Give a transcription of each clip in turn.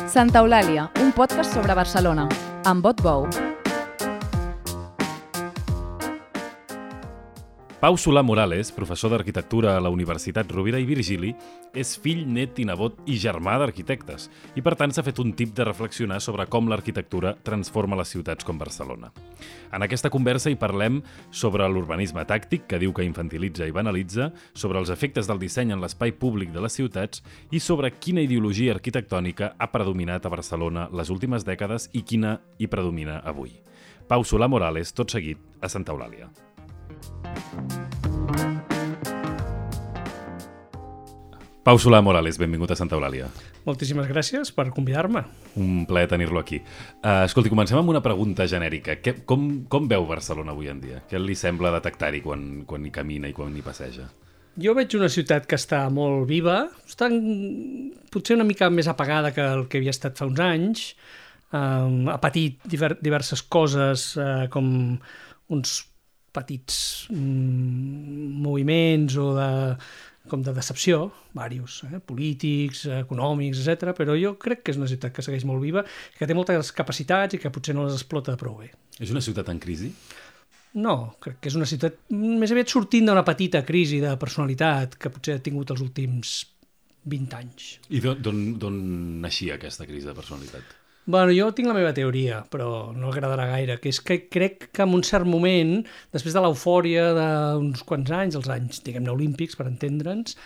Santa Eulàlia, un podcast sobre Barcelona, amb Bot Bou. Pau Solà Morales, professor d'arquitectura a la Universitat Rovira i Virgili, és fill, net i nebot i germà d'arquitectes i per tant s'ha fet un tip de reflexionar sobre com l'arquitectura transforma les ciutats com Barcelona. En aquesta conversa hi parlem sobre l'urbanisme tàctic, que diu que infantilitza i banalitza, sobre els efectes del disseny en l'espai públic de les ciutats i sobre quina ideologia arquitectònica ha predominat a Barcelona les últimes dècades i quina hi predomina avui. Pau Solà Morales, tot seguit, a Santa Eulàlia. Pau Solà Morales, benvingut a Santa Eulàlia. Moltíssimes gràcies per convidar-me. Un plaer tenir-lo aquí. Escolti, comencem amb una pregunta genèrica. Com veu Barcelona avui en dia? Què li sembla detectar-hi quan hi camina i quan hi passeja? Jo veig una ciutat que està molt viva, està potser una mica més apagada que el que havia estat fa uns anys, ha patit diverses coses com uns petits moviments o de decepció, diversos, polítics, econòmics, etc. Però jo crec que és una ciutat que segueix molt viva, que té moltes capacitats i que potser no les explota prou bé. És una ciutat en crisi? No, crec que és una ciutat més aviat sortint d'una petita crisi de personalitat que potser ha tingut els últims 20 anys. I d'on naixia aquesta crisi de personalitat? Bueno, jo tinc la meva teoria, però no agradarà gaire, que és que crec que en un cert moment, després de l'eufòria d'uns quants anys, els anys, diguem-ne, olímpics, per entendre'ns,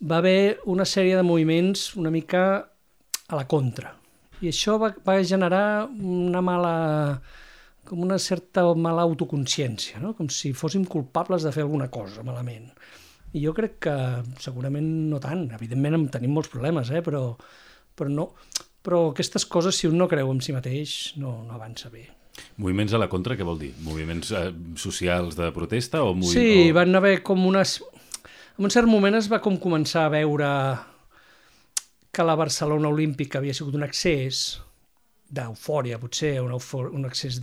va haver una sèrie de moviments una mica a la contra. I això va generar una certa mala autoconsciència, no? Com si fóssim culpables de fer alguna cosa malament. I jo crec que segurament no tant. Evidentment tenim molts problemes, però no... Però aquestes coses, si un no creu en si mateix, no avança bé. Moviments a la contra, què vol dir? Moviments socials de protesta? Sí, van haver com unes... En un cert moment es va començar a veure que la Barcelona Olímpica havia sigut un excés d'eufòria, potser, un excés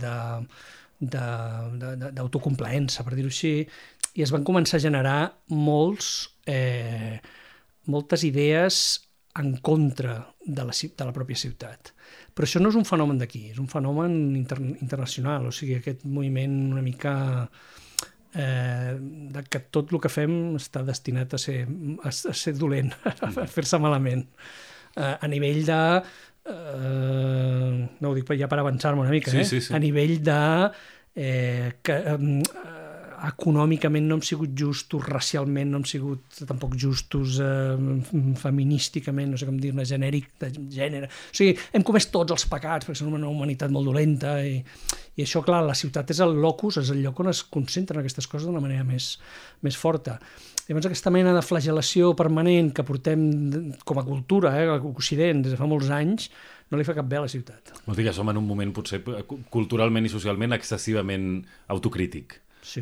d'autocomplaença, per dir-ho així, i es van començar a generar moltes idees en contra de la pròpia ciutat. Però això no és un fenomen d'aquí, és un fenomen internacional, o sigui, aquest moviment una mica que tot el que fem està destinat a ser dolent, a fer-se malament. A nivell de... no ho dic ja per avançar-me una mica, sí. A nivell de... econòmicament no hem sigut justos, racialment no hem sigut tampoc justos, feminísticament, no sé com dir-ne, genèric, de gènere. O sigui, hem comès tots els pecats, perquè som una humanitat molt dolenta, i això, clar, la ciutat és el locus, és el lloc on es concentren aquestes coses d'una manera més forta. Llavors, aquesta mena de flagel·lació permanent que portem com a cultura, a l'Occident, des de fa molts anys, no li fa cap bé a la ciutat. Vols dir que som en un moment, potser, culturalment i socialment, excessivament autocrític. Sí,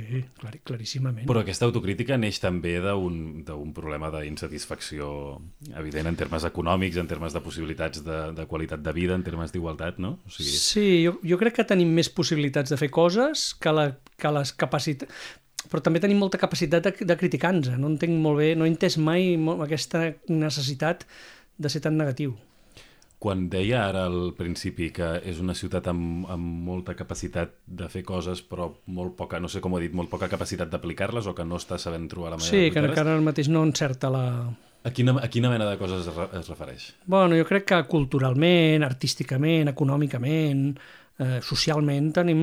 claríssimament. Però aquesta autocrítica neix també d'un problema d'insatisfacció evident en termes econòmics, en termes de possibilitats de qualitat de vida, en termes d'igualtat, no? O sigui... Sí, jo crec que tenim més possibilitats de fer coses que les capacitats... Però també tenim molta capacitat de criticar-nos. No entenc molt bé, no he entès mai aquesta necessitat de ser tan negatiu. Quan deia ara al principi que és una ciutat amb molta capacitat de fer coses, però molt poca, no sé com ho he dit, molt poca capacitat d'aplicar-les o que no està sabent trobar la manera d'aplicar-les... Sí, que ara mateix no encerta la... A quina mena de coses es refereix? Bueno, jo crec que culturalment, artísticament, econòmicament, socialment tenim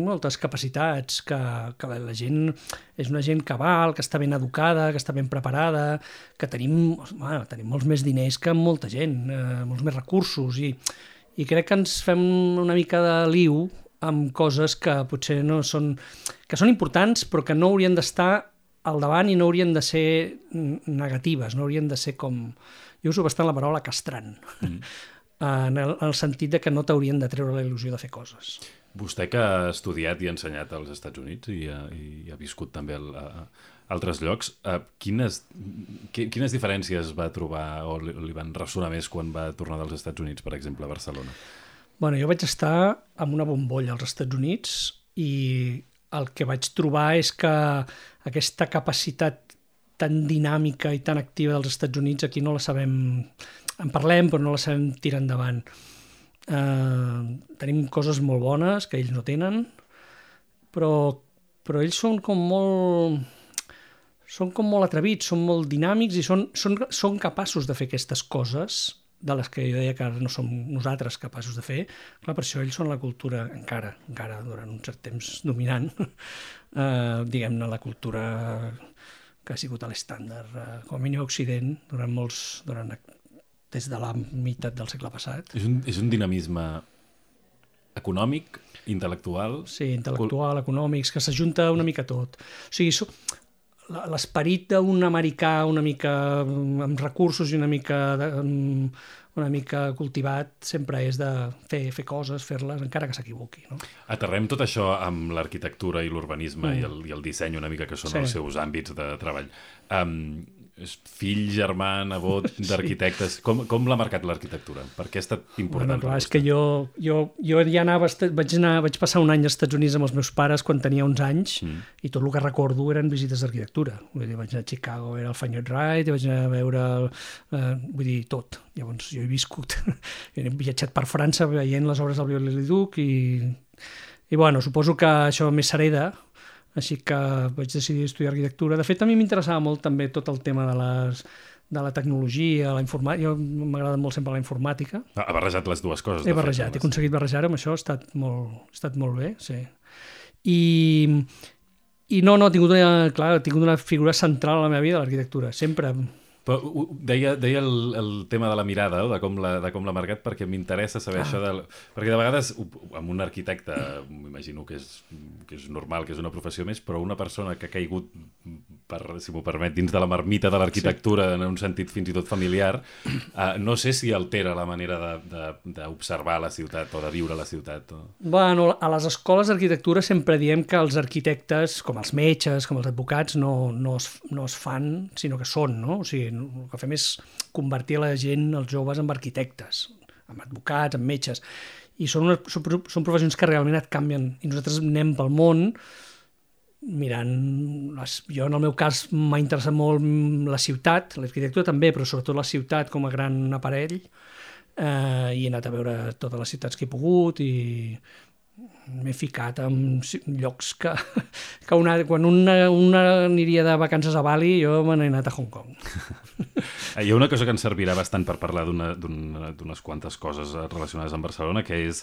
moltes capacitats, que la gent és una gent cabal, que està ben educada, que està ben preparada, que tenim molts més diners que molta gent, molts més recursos, i crec que ens fem una mica de liu amb coses que potser no són... que són importants, però que no haurien d'estar al davant i no haurien de ser negatives, no haurien de ser com... Jo uso bastant la paraula castrant. En el sentit de que no t'haurien de treure la il·lusió de fer coses. Vostè que ha estudiat i ha ensenyat als Estats Units i ha viscut també a altres llocs, quines diferències va trobar o li van ressonar més quan va tornar dels Estats Units, per exemple, a Barcelona? Bueno, jo vaig estar amb una bombolla als Estats Units i el que vaig trobar és que aquesta capacitat tan dinàmica i tan activa dels Estats Units aquí no la sabem... En parlem, però no la sabem tirar endavant. tenim coses molt bones que ells no tenen, però ells són com molt atrevits, són molt dinàmics i són capaços de fer aquestes coses de les que jo deia que no som nosaltres capaços de fer. Clar, per això ells són la cultura encara durant un cert temps dominant, diguem-ne, la cultura que ha sigut l'estàndard, com a mínim a Occident, des de la meitat del segle passat. És un dinamisme econòmic, intel·lectual... Sí, intel·lectual, econòmics, que s'ajunta una mica tot. O sigui, l'esperit d'un americà una mica amb recursos i una mica cultivat sempre és de fer coses, fer-les, encara que s'equivoqui. No? Aterrem tot això amb l'arquitectura i l'urbanisme i el disseny una mica, que són els seus àmbits de treball. Fill, germà, nebot d'arquitectes, com l'ha marcat l'arquitectura? Per què ha estat important? Bueno, clar, és que jo ja vaig passar un any als Estats Units amb els meus pares quan tenia uns anys i tot el que recordo eren visites d'arquitectura. Vaig anar a Chicago, era el Fine Art Ride, vaig anar a veure vull dir, tot. Llavors jo he viscut, he viatjat per França veient les obres del Viollet-le-Duc i bueno, suposo que això més s'hereda. Així que vaig decidir estudiar arquitectura. De fet, a mi m'interessava molt també tot el tema de la tecnologia, la informàtica. Jo m'agrada molt sempre la informàtica. Ha barrejat les dues coses. He aconseguit barrejar-ho amb això, ha estat molt bé, sí. I no, he tingut una figura central a la meva vida, l'arquitectura, sempre. Però deia el tema de la mirada, de com l'ha marcat, perquè m'interessa saber això perquè de vegades amb un arquitecte m'imagino que és normal, que és una professió més, però una persona que ha caigut, si m'ho permet, dins de la marmita de l'arquitectura en un sentit fins i tot familiar, no sé si altera la manera d'observar la ciutat o de viure la ciutat. Bueno, a les escoles d'arquitectura sempre diem que els arquitectes, com els metges, com els advocats, no es fan, sinó que són, no? O sigui, el que fem és convertir la gent, els joves, en arquitectes, en advocats, en metges, i són professions que realment et canvien, i nosaltres anem pel món mirant, jo en el meu cas m'ha interessat molt la ciutat, l'arquitectura també, però sobretot la ciutat com a gran aparell, i he anat a veure totes les ciutats que he pogut i m'he ficat en llocs que quan una aniria de vacances a Bali, jo me n'he anat a Hong Kong. Hi ha una cosa que ens servirà bastant per parlar d'unes quantes coses relacionades amb Barcelona, que és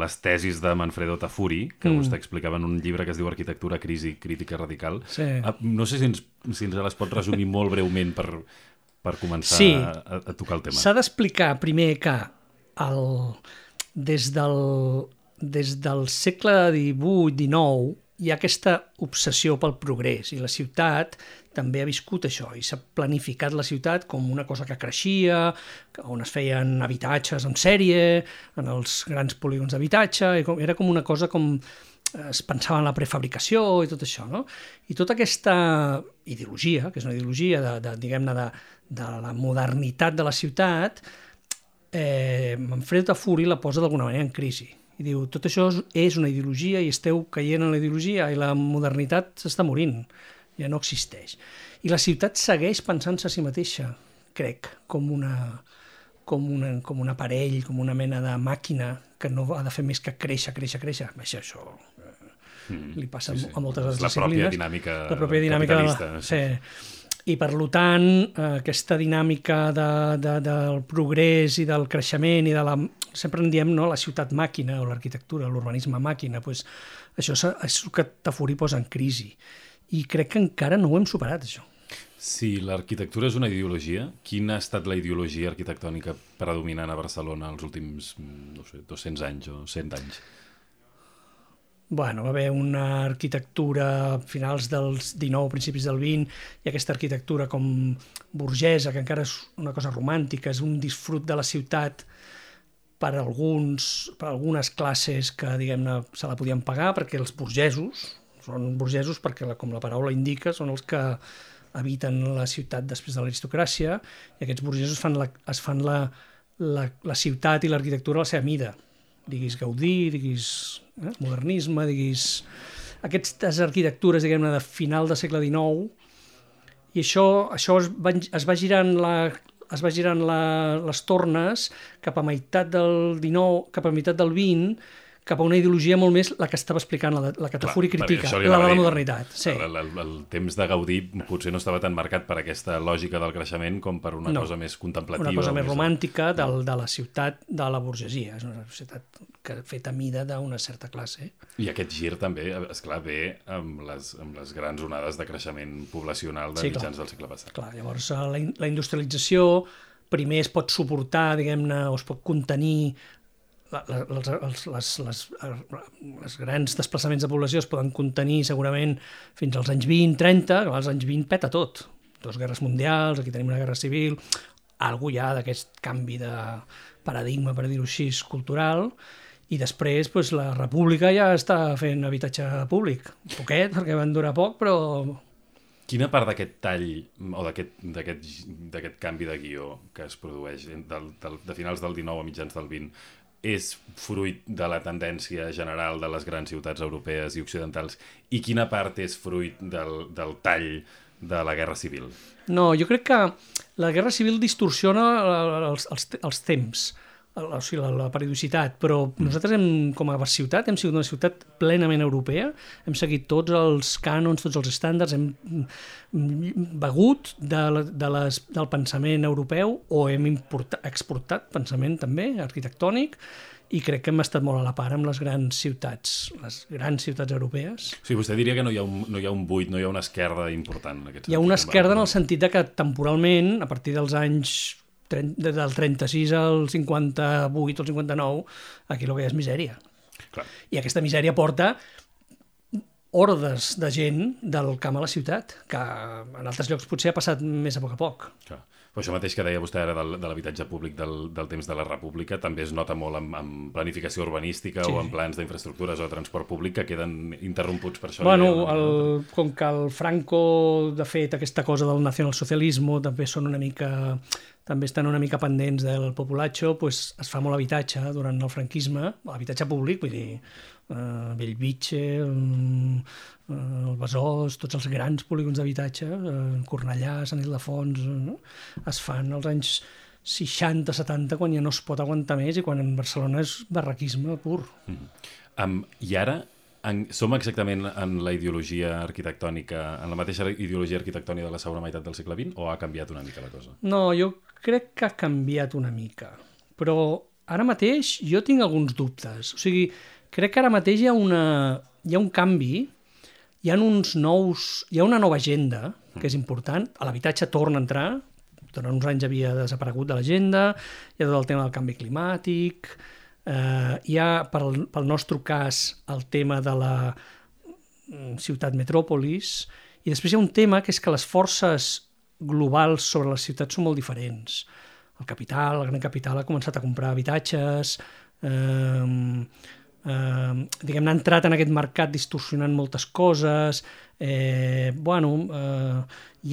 les tesis de Manfredo Tafuri, que vostè explicava en un llibre que es diu Arquitectura, crisi, crítica radical. Sí. No sé si ens les pot resumir molt breument per començar a tocar el tema. S'ha d'explicar primer que des del segle XVIII-XIX hi ha aquesta obsessió pel progrés i la ciutat també ha viscut això i s'ha planificat la ciutat com una cosa que creixia, on es feien habitatges en sèrie, en els grans polígons d'habitatge, era com una cosa com es pensava en la prefabricació i tot això, no? I tota aquesta ideologia, que és una ideologia de la modernitat de la ciutat, Manfredo Tafuri la posa d'alguna manera en crisi. I diu, tot això és una ideologia i esteu caient en la ideologia i la modernitat s'està morint, ja no existeix. I la ciutat segueix pensant-se a si mateixa, crec, com un aparell, com una mena de màquina que no ha de fer més que créixer. Això li passa a moltes disciplines. La pròpia dinàmica capitalista. Sí. I, per tant, aquesta dinàmica del progrés i del creixement i sempre en diem la ciutat màquina o l'arquitectura, l'urbanisme màquina, doncs això és el que Tafuri posa en crisi. I crec que encara no ho hem superat, això. Si l'arquitectura és una ideologia, quina ha estat la ideologia arquitectònica predominant a Barcelona els últims, 200 anys o 100 anys? Bueno, va haver una arquitectura a finals del XIX, principis del XX, i aquesta arquitectura com burgesa, que encara és una cosa romàntica, és un disfrut de la ciutat per algunes classes que, diguem-ne, se la podien pagar, perquè els burgesos, són burgesos perquè, com la paraula indica, són els que habiten la ciutat després de l'aristocràcia, i aquests burgesos es fan la ciutat i l'arquitectura a la seva mida. Diguis Gaudí, diguis modernisme, diguis aquestes arquitectures, diguem-ne, de final del segle XIX, i això es va girant es va girant les tornes cap a meitat del 19, cap a meitat del 20, cap a una ideologia molt més la que estava explicant la que Tafuri critica, la de la modernitat. Sí. El temps de Gaudí potser no estava tan marcat per aquesta lògica del creixement com per una cosa més contemplativa. Una cosa més romàntica de la ciutat de la burgesia. És una societat feta a mida d'una certa classe. I aquest gir també, esclar, ve amb les grans onades de creixement poblacional de mitjans del segle passat. Clar, llavors la industrialització primer es pot suportar, diguem-ne, o es pot contenir. Els grans desplaçaments de població es poden contenir segurament fins als anys 20-30, que als anys 20 peta tot. 2 guerres mundials, aquí tenim una guerra civil, algú ja d'aquest canvi de paradigma, per dir-ho així, cultural, i després la república ja està fent habitatge públic. Poquet, perquè van durar poc, però... Quina part d'aquest tall o d'aquest canvi de guió que es produeix de finals del 19 a mitjans del 20 és fruit de la tendència general de les grans ciutats europees i occidentals i quina part és fruit del tall de la Guerra Civil? No, jo crec que la Guerra Civil distorsiona els temps, o sigui, la periodicitat, però nosaltres com a ciutat hem sigut una ciutat plenament europea, hem seguit tots els cànons, tots els estàndards, hem begut del pensament europeu o hem exportat pensament també arquitectònic i crec que hem estat molt a la part amb les grans ciutats europees. Sí, vostè diria que no hi ha un buit, no hi ha una esquerda important en aquest sentit. Hi ha una esquerda en el sentit que temporalment, a partir dels anys del 36 al 58 o el 59, aquí el que hi ha és misèria. Clar. I aquesta misèria porta hordes de gent del camp a la ciutat, que en altres llocs potser ha passat més a poc. Clar. Però això mateix que deia vostè ara de l'habitatge públic del temps de la República també es nota molt en planificació urbanística o en plans d'infraestructures o de transport públic que queden interromputs per això. Bueno, com que el Franco, de fet, aquesta cosa del nacionalsocialisme també estan una mica pendents del populacho, pues es fa molt habitatge durant el franquisme, habitatge públic, vull dir, Bellvitge, el Besòs, tots els grans polígons d'habitatge, Cornellà, Sant Ildefons, es fan als anys 60-70 quan ja no es pot aguantar més i quan en Barcelona és barraquisme pur. I ara som exactament en la ideologia arquitectònica, en la mateixa ideologia arquitectònica de la segona meitat del segle XX o ha canviat una mica la cosa? No, jo crec que ha canviat una mica, però ara mateix jo tinc alguns dubtes. O sigui, crec que ara mateix hi ha un canvi, hi ha una nova agenda que és important, l'habitatge torna a entrar, durant uns anys havia desaparegut de l'agenda, hi ha tot el tema del canvi climàtic, hi ha, pel nostre cas, el tema de la ciutat metròpolis, i després hi ha un tema que és que les forces globals sobre les ciutats són molt diferents. El gran capital ha començat a comprar habitatges, diguem-ne, ha entrat en aquest mercat distorsionant moltes coses, hi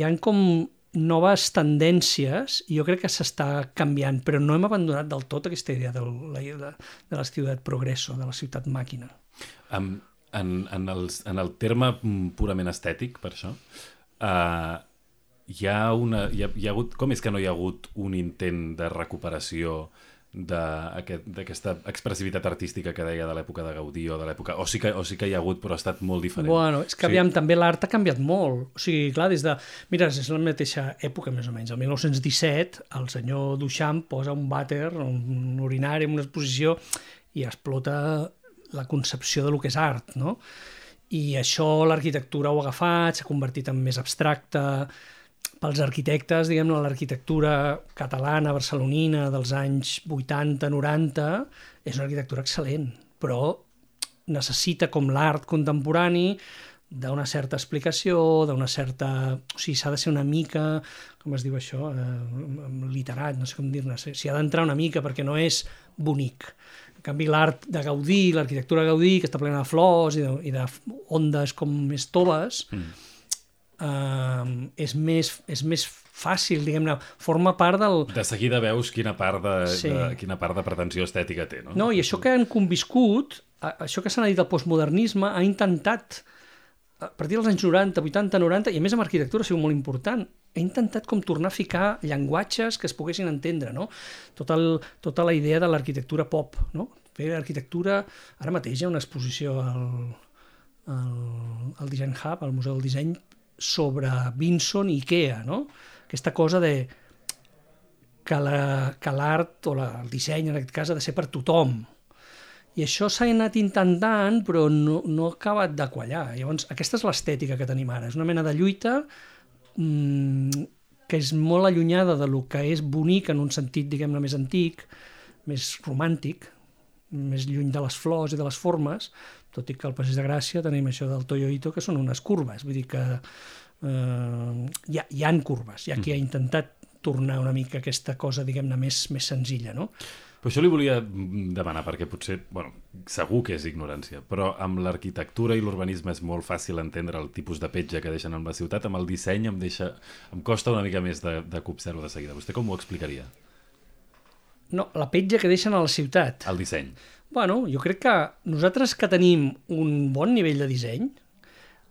ha com noves tendències i jo crec que s'està canviant, però no hem abandonat del tot aquesta idea de la ciutat progresso, de la ciutat màquina. En el terme purament estètic, per això, hi ha hagut, com és que no hi ha hagut un intent de recuperació d'aquesta expressivitat artística que deia de l'època de Gaudí o de l'època... O sí que hi ha hagut, però ha estat molt diferent. Bueno, és que aviam, també l'art ha canviat molt. O sigui, clar, Mira, és la mateixa època, més o menys. El 1917, el senyor Duchamp posa un vàter, un urinari, en una exposició, i explota la concepció de lo que és art, no? I això l'arquitectura ho ha agafat, s'ha convertit en més abstracte. Pels arquitectes, diguem-ne, l'arquitectura catalana, barcelonina, dels anys 80-90, és una arquitectura excel·lent, però necessita, com l'art contemporani, d'una certa explicació, d'una certa... O sigui, s'ha de ser una mica, com es diu això, literat, no sé com dir-ne, s'hi ha d'entrar una mica perquè no és bonic. En canvi, l'art de Gaudí, l'arquitectura de Gaudí, que està plena de flors i d'ondes com més toves, és més fàcil, diguem-ne, forma part del... De seguida veus quina part de pretensió estètica té, no? No, i això que han conviscut, això que s'ha dit del postmodernisme, ha intentat a partir dels anys 90, 80, 90, i a més amb arquitectura ha sigut molt important, he intentat com tornar a ficar llenguatges que es poguessin entendre, no? Tota la idea de l'arquitectura pop, no? Fer arquitectura... Ara mateix hi ha una exposició al Design Hub, al Museu del Disseny, sobre Vinson i Ikea, no? Aquesta cosa de que l'art o el disseny, en aquest cas, ha de ser per tothom. I això s'ha anat intentant, però no ha acabat de quallar. Llavors, aquesta és l'estètica que tenim ara. És una mena de lluita que és molt allunyada de lo que és bonic en un sentit, diguem-ne, més antic, més romàntic, més lluny de les flors i de les formes, tot i que al Passeig de Gràcia tenim això del Toyo Ito, que són unes curves. Vull dir que hi ha curves. Hi ha qui ha intentat tornar una mica aquesta cosa, diguem-ne, més senzilla, no? Però això li volia demanar, perquè potser, bueno, segur que és ignorància, però amb l'arquitectura i l'urbanisme és molt fàcil entendre el tipus de petja que deixen en la ciutat, amb el disseny em costa una mica més de copsar-ho de seguida. Vostè com ho explicaria? No, la petja que deixen a la ciutat. El disseny. Bueno, jo crec que nosaltres que tenim un bon nivell de disseny,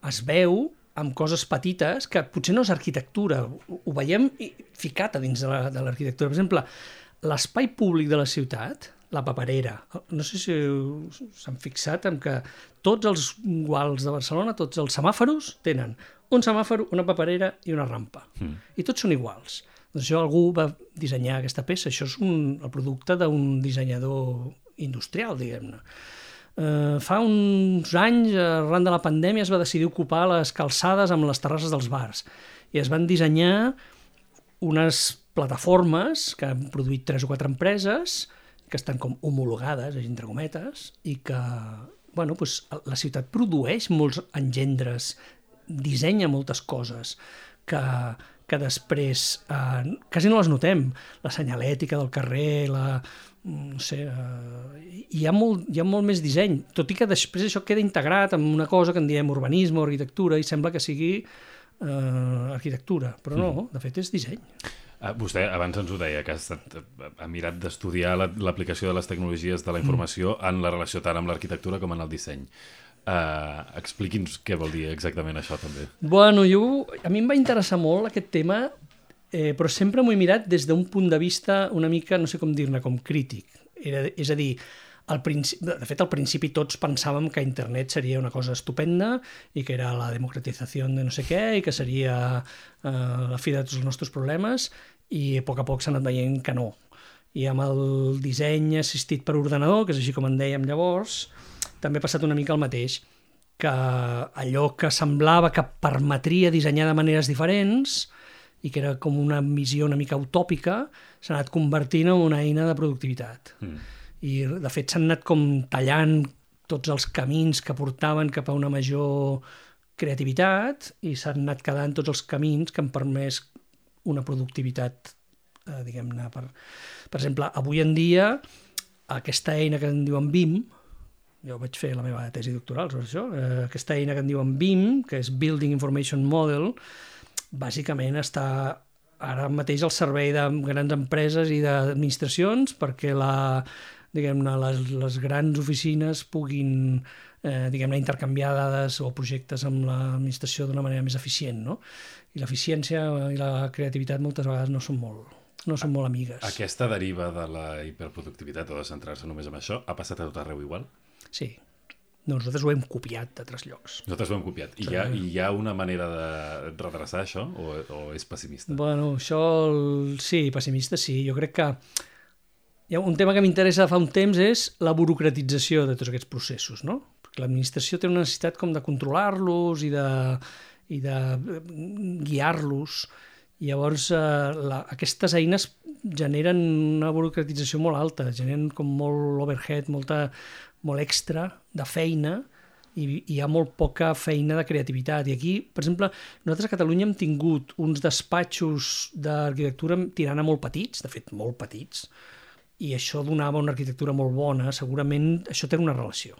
es veu amb coses petites que potser no és arquitectura, ho veiem ficat a dins de l'arquitectura. Per exemple, l'espai públic de la ciutat, la paperera, no sé si s'han fixat en que tots els guals de Barcelona, tots els semàforos tenen un semàfor, una paperera i una rampa. I tots són iguals. Doncs això algú va dissenyar aquesta peça, això és el producte d'un dissenyador industrial, diguem-ne. Fa uns anys, arran de la pandèmia, es va decidir ocupar les calçades amb les terrasses dels bars i es van dissenyar unes plataformes que han produït 3 o 4 empreses que estan com homologades, entre cometes, i que bueno, doncs, la ciutat produeix molts engendres, dissenya moltes coses que després quasi no les notem. La senyalètica del carrer, no sé, hi ha molt més disseny, tot i que després això queda integrat en una cosa que en diem urbanisme o arquitectura i sembla que sigui arquitectura, però no, de fet és disseny. Vostè abans ens ho deia, que ha mirat d'estudiar l'aplicació de les tecnologies de la informació en la relació tant amb l'arquitectura com en el disseny. Expliqui'ns què vol dir exactament això, també. Bueno, a mi em va interessar molt aquest tema, però sempre m'ho he mirat des d'un punt de vista una mica, no sé com dir-ne, com crític. És a dir, de fet, al principi tots pensàvem que internet seria una cosa estupenda i que era la democratització de no sé què i que seria la fi de tots els nostres problemes i a poc s'ha anat veient que no. I amb el disseny assistit per ordinador, que és així com en dèiem llavors, també ha passat una mica el mateix, que allò que semblava que permetria dissenyar de maneres diferents i que era com una visió una mica utòpica, s'ha anat convertint en una eina de productivitat. I de fet s'han anat com tallant tots els camins que portaven cap a una major creativitat i s'han anat quedant tots els camins que han permès una productivitat, diguem-ne, per exemple, avui en dia aquesta eina que en diuen BIM, jo vaig fer la meva tesi doctoral sobre això, aquesta eina que en diuen BIM, que és Building Information Model, bàsicament està ara mateix al servei de grans empreses i d'administracions perquè les grans oficines puguin intercanviar dades o projectes amb l'administració d'una manera més eficient, no? I l'eficiència i la creativitat moltes vegades no són molt amigues. Aquesta deriva de la hiperproductivitat o de centrar-se només en això ha passat a tot arreu igual? Sí. Nosaltres ho hem copiat d'altres llocs. Nosaltres ho hem copiat. I hi ha una manera de redreçar això o és pessimista? Bueno, això sí, pessimista sí. Jo crec que un tema que m'interessa fa un temps és la burocratització de tots aquests processos, no? Perquè l'administració té una necessitat com de controlar-los i de guiar-los. I llavors aquestes eines generen una burocratització molt alta, generen com molt overhead, molt extra de feina i hi ha molt poca feina de creativitat. I aquí, per exemple, nosaltres a Catalunya hem tingut uns despatxos d'arquitectura tirant a molt petits, de fet molt petits, i això donava una arquitectura molt bona, segurament això té una relació.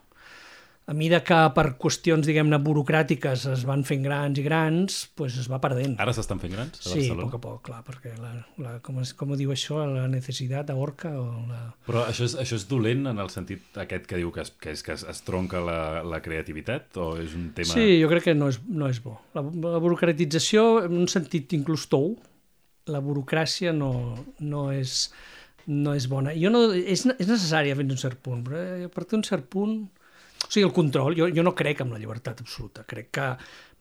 a mesura que per qüestions, diguem-ne, burocràtiques es van fent grans i grans, doncs es va perdent. Ara s'estan fent grans a Sí, Barcelona? a poc a poc, clar, perquè com ho diu això, la necessitat ahorca o la... Però això és dolent en el sentit aquest que diu que es tronca la creativitat o és un tema... Sí, jo crec que no és bo. La burocratització, en un sentit inclús tou, la burocràcia no és bona. És necessària fins a un cert punt, però a partir d'un cert punt... O sigui, el control, jo no crec en la llibertat absoluta. Crec que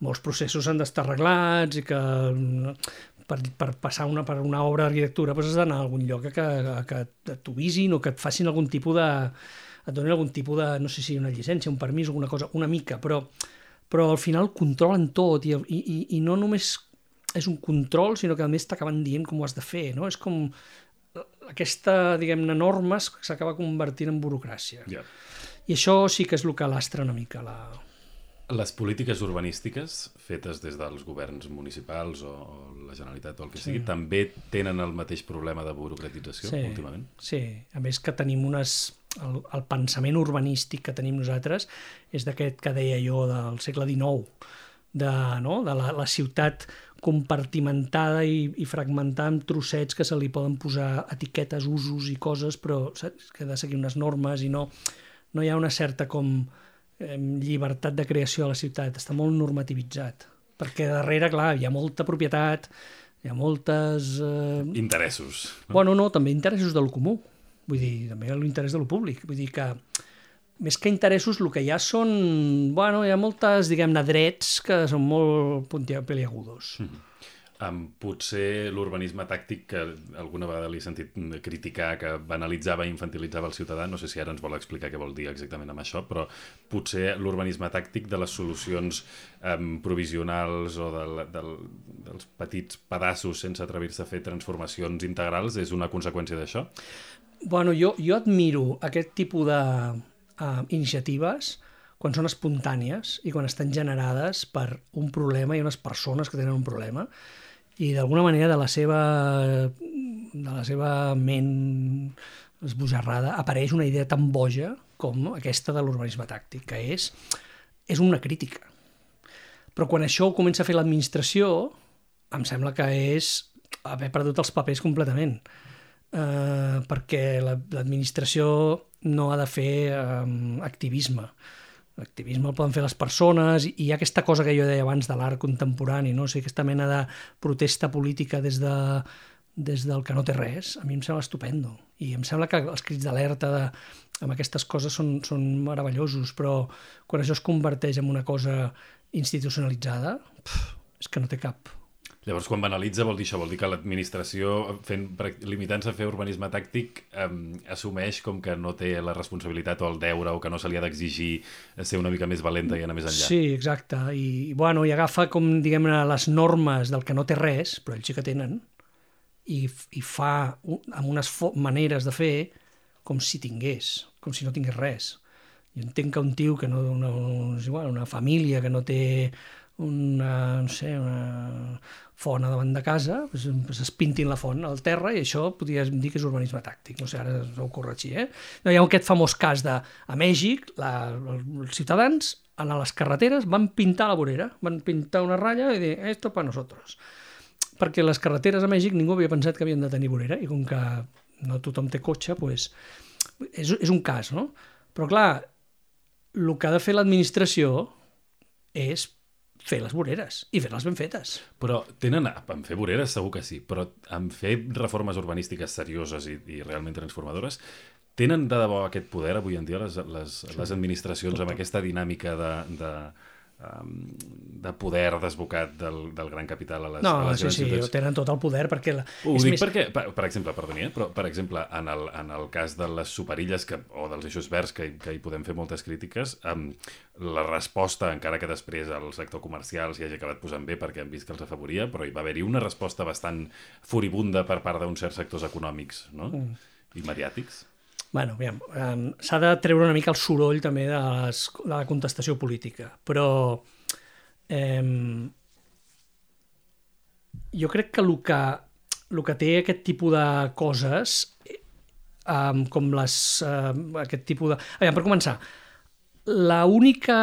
molts processos han d'estar arreglats i que per passar per una obra d'arquitectura has d'anar a algun lloc que t'avisin o que et facin algun tipus de... et donin algun tipus de, no sé si una llicència, un permís, alguna cosa, una mica, però al final controlen tot i no només és un control, sinó que a més t'acaben dient com ho has de fer, no? És com aquesta, diguem-ne, normes que s'acaba convertint en burocràcia. Yeah. I això sí que és el que lastra una mica Les polítiques urbanístiques fetes des dels governs municipals o la Generalitat o el que sigui, també tenen el mateix problema de burocratització últimament? Sí, a més que tenim el pensament urbanístic que tenim nosaltres és d'aquest que deia jo del segle XIX, de la ciutat compartimentada i fragmentada en trossets que se li poden posar etiquetes, usos i coses, però saps? Que ha de seguir unes normes i no hi ha una certa llibertat de creació a la ciutat, està molt normativitzat, perquè darrere, clar, hi ha molta propietat, hi ha moltes... Interessos. No? Bueno, no, també interessos de lo comú, vull dir, també l'interès de lo públic, vull dir que més que interessos el que hi ha són, bueno, hi ha moltes, diguem-ne, drets que són molt peliagudos. Potser l'urbanisme tàctic, que alguna vegada l'he sentit criticar, que banalitzava i infantilitzava el ciutadà, no sé si ara ens vol explicar què vol dir exactament amb això, però potser l'urbanisme tàctic de les solucions provisionals o dels petits pedaços sense atrevir-se a fer transformacions integrals és una conseqüència d'això? Bueno, jo admiro aquest tipus d'iniciatives quan són espontànies i quan estan generades per un problema i unes persones que tenen un problema i d'alguna manera de la seva ment esbojarrada apareix una idea tan boja com aquesta de l'urbanisme tàctic, que és una crítica. Però quan això ho comença a fer l'administració, em sembla que és haver perdut els papers completament, perquè l'administració no ha de fer activisme. L'activisme el poden fer les persones i hi ha aquesta cosa que jo deia abans de l'art contemporani, no? O sigui, aquesta mena de protesta política des del que no té res, a mi em sembla estupendo. I em sembla que els crits d'alerta amb aquestes coses són meravellosos, però quan això es converteix en una cosa institucionalitzada, és que no té cap. Llavors, quan banalitza vol dir això, vol dir que l'administració, limitant-se a fer urbanisme tàctic, assumeix com que no té la responsabilitat o el deure o que no se li ha d'exigir ser una mica més valenta i anar més enllà. Sí, exacte. I agafa com, diguem-ne, les normes del que no té res, però ells sí que tenen, i fa amb unes maneres de fer com si tingués, com si no tingués res. Jo entenc que un tio que una família que no té una font davant de casa, doncs es pintin la font al terra i això podries dir que és urbanisme tàctic. No sé, ara ho corregir, No, hi ha aquest famós cas a Mèxic, els ciutadans a les carreteres van pintar la vorera, van pintar una ratlla i dir, esto para nosotros. Perquè les carreteres a Mèxic ningú havia pensat que havien de tenir vorera i com que no tothom té cotxe, doncs és un cas, no? Però clar, el que ha de fer l'administració és fer les voreres i fer-les ben fetes. Però en fer voreres segur que sí, però en fer reformes urbanístiques serioses i realment transformadores, tenen de debò aquest poder avui en dia les administracions amb aquesta dinàmica de poder desbocat del gran capital a les grans ciutats? No, tenen tot el poder perquè... Ho dic perquè, per exemple, perdoni, però per exemple, en el cas de les superilles o dels eixos verds, que hi podem fer moltes crítiques, la resposta, encara que després el sector comercial s'hi hagi acabat posant bé perquè han vist que els afavoria, però hi va haver-hi una resposta bastant furibunda per part d'uns certs sectors econòmics, no? I mediàtics. Bueno, s'ha de treure una mica el soroll també de la contestació política, però jo crec que el que té aquest tipus de coses, com aquest tipus de... Per començar, l'única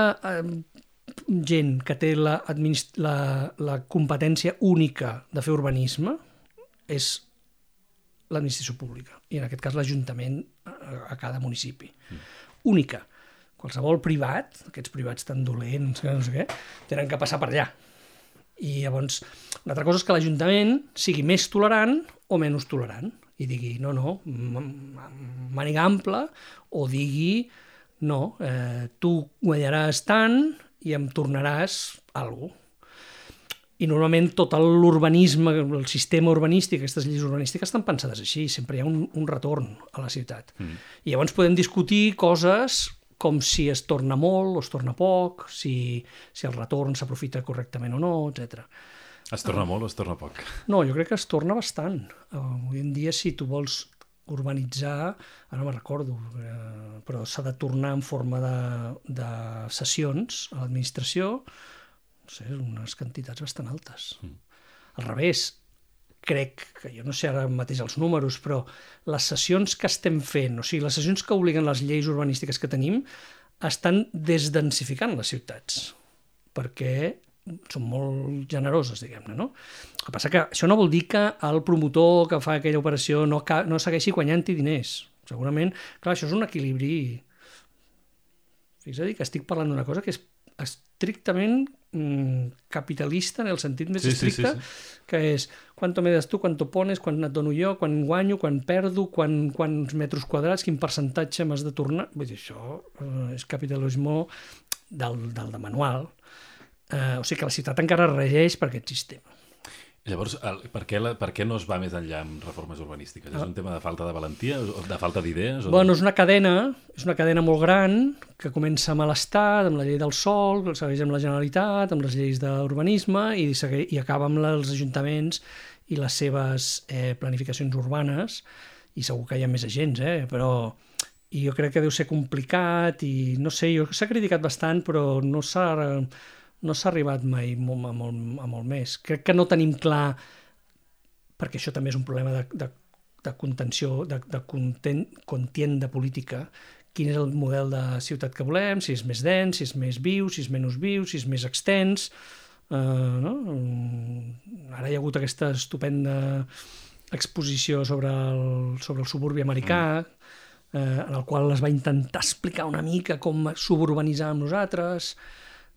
gent que té la competència única de fer urbanisme és l'administració pública, i en aquest cas l'Ajuntament a cada municipi. Única. Qualsevol privat, aquests privats tan dolents, no sé què, tenen que passar per allà. I llavors, una altra cosa és que l'Ajuntament sigui més tolerant o menys tolerant, i digui, no, màniga ampla, o digui, no, tu guanyaràs tant i em tornaràs alguna cosa. I normalment tot l'urbanisme, el sistema urbanístic, aquestes lleis urbanístiques estan pensades així, sempre hi ha un retorn a la ciutat. I llavors podem discutir coses com si es torna molt o es torna poc, si el retorn s'aprofita correctament o no, etc. Es torna molt o es torna poc? No, jo crec que es torna bastant. Avui en dia, si tu vols urbanitzar, ara no me'n recordo, però s'ha de tornar en forma de cessions a l'administració, no sé, unes quantitats bastant altes. Al revés, crec que, jo no sé ara mateix els números, però les cessions que estem fent, o sigui, les cessions que obliguen les lleis urbanístiques que tenim, estan desdensificant les ciutats, perquè són molt generoses, diguem-ne, no? El que passa que això no vol dir que el promotor que fa aquella operació no segueixi guanyant-hi diners. Segurament, clar, això és un equilibri. Fixa't que estic parlant d'una cosa que és estrictament capitalista en el sentit més estricte, que és quanto me das tu, quanto pones, quan et dono jo, quan guanyo, quan perdo, quants metres quadrats, quin percentatge m'has de tornar. Vull dir, això és capitalisme del manual. O sigui que la ciutat encara regeix per aquest sistema. Llavors, per què no es va més enllà amb reformes urbanístiques? És un tema de falta de valentia, de falta d'idees? Bueno, és una cadena molt gran que comença amb l'Estat, amb la llei del sòl, que segueix amb la Generalitat, amb les lleis d'urbanisme i acaba amb els ajuntaments i les seves planificacions urbanes, i segur que hi ha més agents, però i jo crec que deu ser complicat i no sé, s'ha criticat bastant, però no s'ha arribat mai a molt més. Crec que no tenim clar, perquè això també és un problema de contenció, de contienda política, quin és el model de ciutat que volem, si és més dens, si és més viu, si és menys viu, si és més extens. No? Ara hi ha hagut aquesta estupenda exposició sobre el suburbi americà, en el qual es va intentar explicar una mica com suburbanitzar amb nosaltres.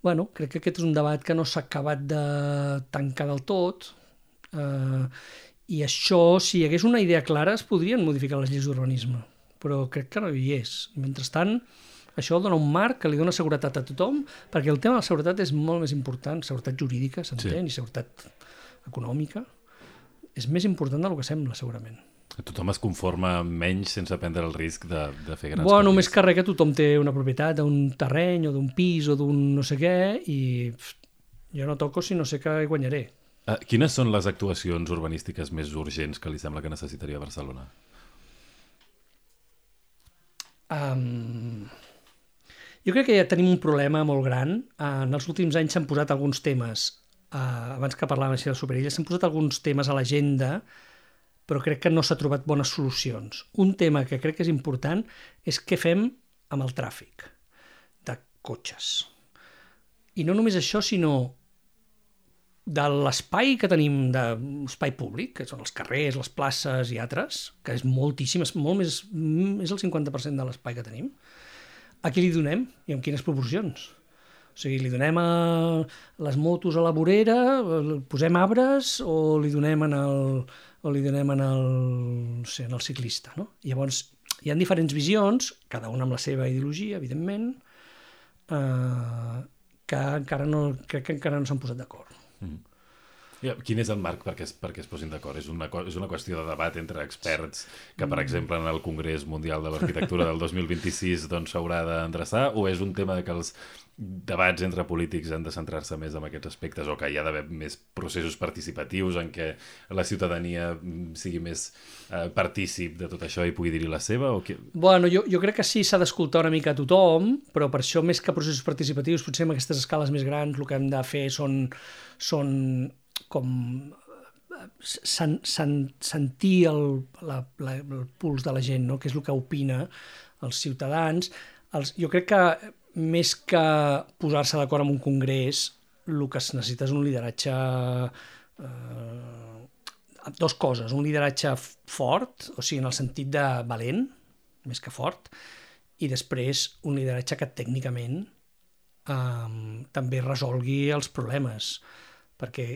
Bueno, crec que aquest és un debat que no s'ha acabat de tancar del tot, i això, si hi hagués una idea clara, es podrien modificar les lleis d'urbanisme, però crec que no hi és. Mentrestant, això dona un marc que li dona seguretat a tothom, perquè el tema de la seguretat és molt més important, seguretat jurídica, s'entén, i seguretat econòmica, és més important del que sembla, segurament. Tothom es conforma menys sense prendre el risc de fer grans canvis. Més que res que tothom té una propietat d'un terreny o d'un pis o d'un no sé què, i jo no toco si no sé què guanyaré. Quines són les actuacions urbanístiques més urgents que li sembla que necessitaria Barcelona? Jo crec que ja tenim un problema molt gran. En els últims anys s'han posat alguns temes, abans que parlàvem així del superilla, s'han posat alguns temes a l'agenda, però crec que no s'ha trobat bones solucions. Un tema que crec que és important és què fem amb el tràfic de cotxes. I no només això, sinó de l'espai que tenim, d'espai públic, que són els carrers, les places i altres, que és moltíssim, és el 50% de l'espai que tenim. A qui li donem i amb quines proporcions? O sigui, li donem a les motos a la vorera, posem arbres, o li donem en el ciclista, no? Llavors, hi ha diferents visions, cada una amb la seva ideologia, evidentment, que encara no s'han posat d'acord. Quin és el marc perquè es posin d'acord? És una qüestió de debat entre experts que, per exemple, en el Congrés Mundial de l'Arquitectura del 2026 s'haurà d'endreçar, o és un tema que els debats entre polítics han de centrar-se més en aquests aspectes, o que hi ha d'haver més processos participatius en què la ciutadania sigui més partícip de tot això i pugui dir-hi la seva? Bueno, jo crec que sí, s'ha d'escoltar una mica a tothom, però per això, més que processos participatius, potser en aquestes escales més grans el que hem de fer són com sentir el puls de la gent, no? Què és el que opina els ciutadans. Jo crec que més que posar-se d'acord amb un congrés, el que es necessita és un lideratge... Dos coses, un lideratge fort, o sigui, en el sentit de valent, més que fort, i després un lideratge que tècnicament també resolgui els problemes, perquè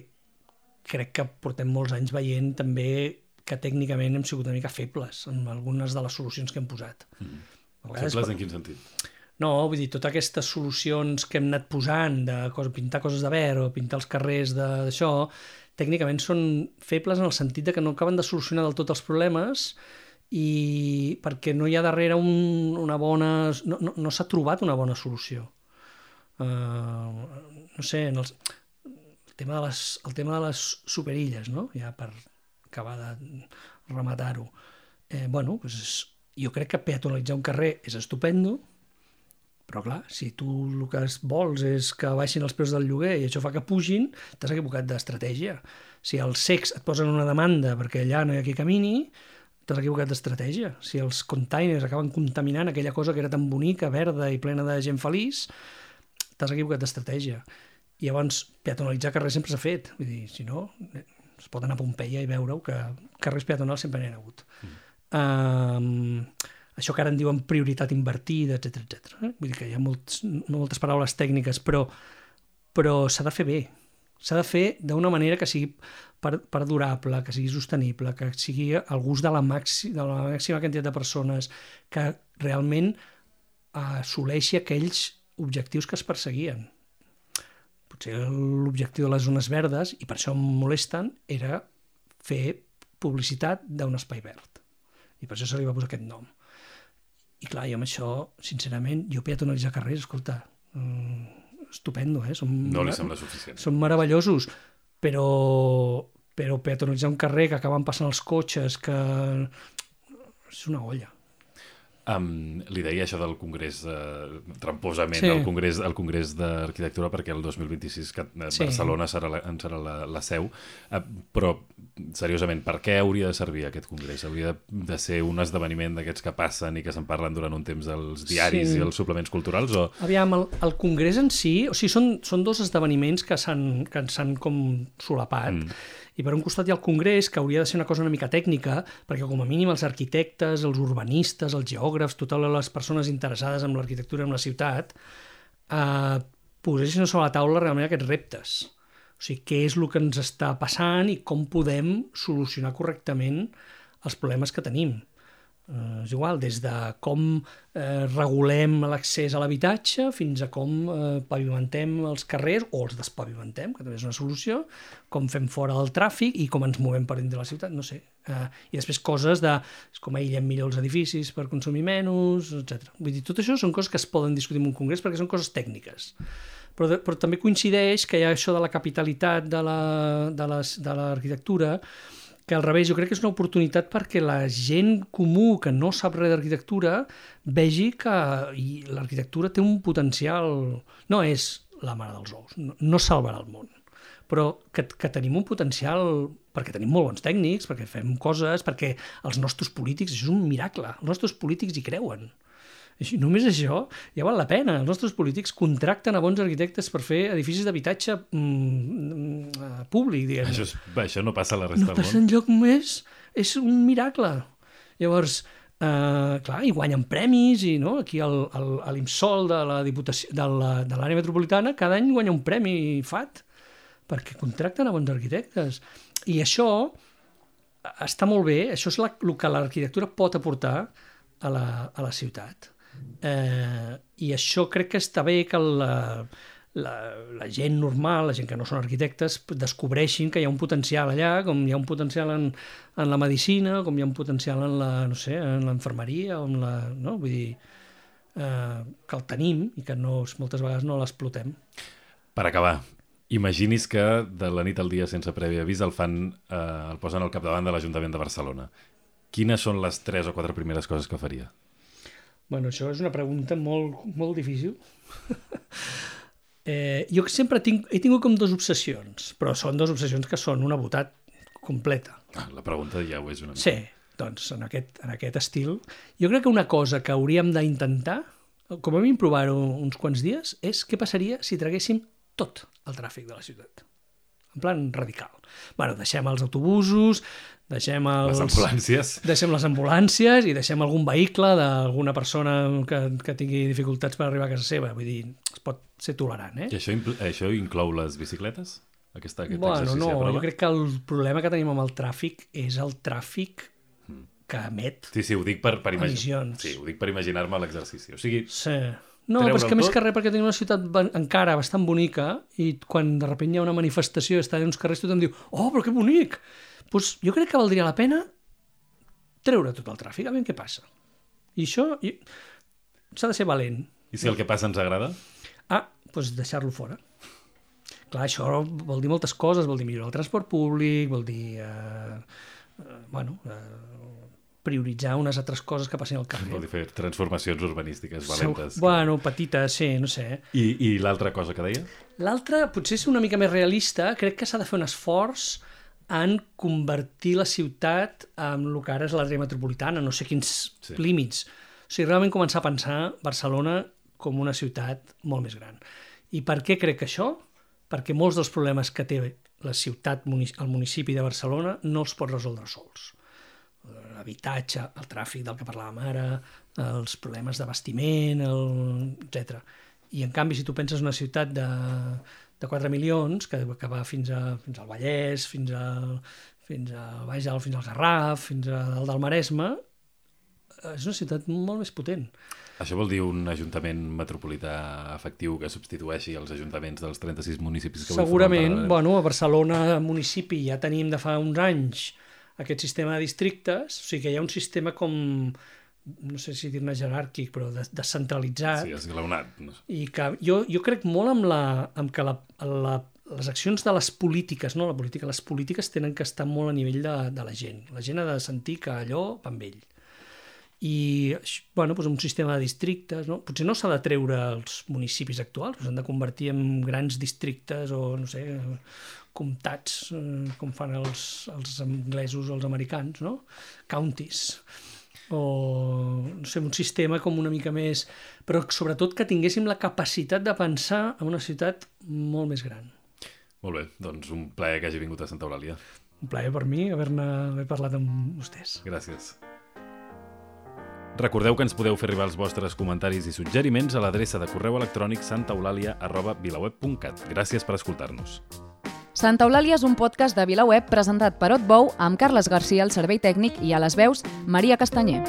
crec que portem molts anys veient també que tècnicament hem sigut una mica febles en algunes de les solucions que hem posat. Febles en quin sentit? No, vull dir, totes aquestes solucions que hem anat posant, de pintar coses de verd o pintar els carrers d'això, tècnicament són febles en el sentit de que no acaben de solucionar del tot els problemes i perquè no hi ha darrere una bona... No s'ha trobat una bona solució. No sé, el tema de les superilles, no? Ja per acabar de rematar-ho. Jo crec que peatonalitzar un carrer és estupendo, però clar, si tu el que vols és que baixin els preus del lloguer i això fa que pugin, t'has equivocat d'estratègia. Si els cecs et posen una demanda perquè allà no hi ha qui camini, t'has equivocat d'estratègia. Si els containers acaben contaminant aquella cosa que era tan bonica, verda i plena de gent feliç, t'has equivocat d'estratègia. I llavors, peatonalitzar carrers sempre s'ha fet. Vull dir, si no, es pot anar a Pompeia i veure que carrers peatonals sempre n'hi ha hagut. Això que ara en diuen prioritat invertida, etc. Vull dir que hi ha moltes paraules tècniques, però s'ha de fer bé. S'ha de fer d'una manera que sigui perdurable, que sigui sostenible, que sigui al gust de la màxima quantitat de persones, que realment assoleixi aquells objectius que es perseguien. Potser l'objectiu de les zones verdes, i per això em molesten, era fer publicitat d'un espai verd. I per això se li va posar aquest nom. I clar, jo amb això, sincerament, peatonalitzar carrers, escolta, estupendo, no li sembla suficient. Són meravellosos, però peatonalitzar un carrer que acaben passant els cotxes, que és una olla. Li deia això del Congrés, tramposament, el Congrés d'Arquitectura, perquè el 2026 Barcelona serà la seu, però seriosament, per què hauria de servir aquest Congrés? Hauria de ser un esdeveniment d'aquests que passen i que se'n parlen durant un temps als diaris i als suplements culturals? Aviam, el Congrés en si, o sigui, són dos esdeveniments que s'han com solapat, i per un costat hi ha el Congrés, que hauria de ser una cosa una mica tècnica, perquè com a mínim els arquitectes, els urbanistes, els geògrafs, totes les persones interessades en l'arquitectura i en la ciutat, posessin sobre la taula realment aquests reptes. O sigui, què és el que ens està passant i com podem solucionar correctament els problemes que tenim. És igual, des de com regulem l'accés a l'habitatge fins a com pavimentem els carrers o els despavimentem, que també és una solució, com fem fora del tràfic i com ens movem per dintre de la ciutat, no sé. I després coses de com aïllem millor els edificis per consumir menys, etc. Vull dir, tot això són coses que es poden discutir en un congrés perquè són coses tècniques. Però també coincideix que hi ha això de la capitalitat de l'arquitectura, que al revés, jo crec que és una oportunitat perquè la gent comú que no sap res d'arquitectura vegi que l'arquitectura té un potencial... No és la mare dels ous, no salvarà el món, però que tenim un potencial perquè tenim molt bons tècnics, perquè fem coses, perquè els nostres polítics, això és un miracle, els nostres polítics hi creuen. I només això ja val la pena. Els nostres polítics contracten a bons arquitectes per fer edificis d'habitatge públic, diguem. Això no passa a la resta del món. No passa enlloc més. És un miracle. Llavors, clar, i guanyen premis, i no? Aquí a l'IMSOL de la Diputació de l'àrea metropolitana cada any guanya un premi FAT perquè contracten a bons arquitectes. I això està molt bé, això és el que l'arquitectura pot aportar a la ciutat. I això crec que està bé que la gent normal, la gent que no són arquitectes, descobreixin que hi ha un potencial allà, com hi ha un potencial en la medicina, com hi ha un potencial en l'enfermeria, no? Vull dir, que el tenim i que moltes vegades no l'explotem. Per acabar, imagini's que de la nit al dia sense previ avís el posen al capdavant de l'Ajuntament de Barcelona. Quines són les 3 o 4 primeres coses que faria? Bueno, això és una pregunta molt, molt difícil. Jo sempre he tingut com 2 obsessions, però són 2 obsessions que són una botat completa. La pregunta ja ho és una mica. Sí, doncs en aquest estil. Jo crec que una cosa que hauríem d'intentar com a mínim provar-ho uns quants dies, és què passaria si traguéssim tot el tràfic de la ciutat. En plan radical. Bueno, deixem els autobusos, deixem Les ambulàncies. Deixem les ambulàncies i deixem algun vehicle d'alguna persona que tingui dificultats per arribar a casa seva. Vull dir, es pot ser tolerant, I això inclou les bicicletes? Aquest Bueno, exercici no, a prova? jo crec que el problema que tenim amb el tràfic és el tràfic que emet Sí, ho dic per emissions. Sí, ho dic per imaginar-me l'exercici. O sigui, Sí. No, però és que més que res perquè tenim una ciutat encara bastant bonica i quan de sobte hi ha una manifestació i està en uns carrers tothom diu «Oh, però que bonic!» Doncs jo crec que valdria la pena treure tot el tràfic, a veure què passa. I això s'ha de ser valent. i si el que passa ens agrada? Doncs deixar-lo fora. Clar, això vol dir moltes coses, vol dir millorar el transport públic, vol dir prioritzar unes altres coses que passin al carrer. Vol dir fer transformacions urbanístiques valentes. Bueno, petites, sí, no sé. I l'altra cosa que deia? L'altra, potser és una mica més realista, crec que s'ha de fer un esforç en convertir la ciutat en el que ara és l'àrea metropolitana, no sé quins límits. O sigui, realment començar a pensar Barcelona com una ciutat molt més gran. I per què crec això? Perquè molts dels problemes que té la ciutat, el municipi de Barcelona, no els pot resoldre sols. L'habitatge, el tràfic del que parlàvem ara, els problemes d'abastiment, etc. I en canvi, si tu penses una ciutat de 4 milions, que va fins al Vallès, fins al Baix Alt, fins al Garraf, fins a dalt del Maresme, és una ciutat molt més potent. Això vol dir un ajuntament metropolità efectiu que substitueixi els ajuntaments dels 36 municipis que segurament, bueno, a Barcelona municipi ja tenim de fa uns anys aquest sistema de districtes, o sigui que hi ha un sistema com, no sé si dir-ne jeràrquic, però descentralitzat. Sí, esglaonat. No sé. I que jo crec molt amb que les accions de les polítiques, no la política, les polítiques tenen que estar molt a nivell de la gent. La gent ha de sentir que allò va amb ell. I, bueno, doncs un sistema de districtes, no? Potser no s'ha de treure els municipis actuals, s'han de convertir en grans districtes o, no sé, comtats, com fan els anglesos o els americans, no? Counties. O, no sé, un sistema com una mica més... Però sobretot que tinguéssim la capacitat de pensar en una ciutat molt més gran. Molt bé, doncs un plaer que hagi vingut a Santa Eulàlia. Un plaer per mi haver parlat amb vostès. Gràcies. Recordeu que ens podeu fer arribar els vostres comentaris i suggeriments a l'adreça de correu electrònic santaeulàlia@vilaweb.cat. Gràcies per escoltar-nos. Santa Eulàlia és un podcast de VilaWeb presentat per Otbou amb Carles Garcia al servei tècnic i a les veus Maria Castanyer.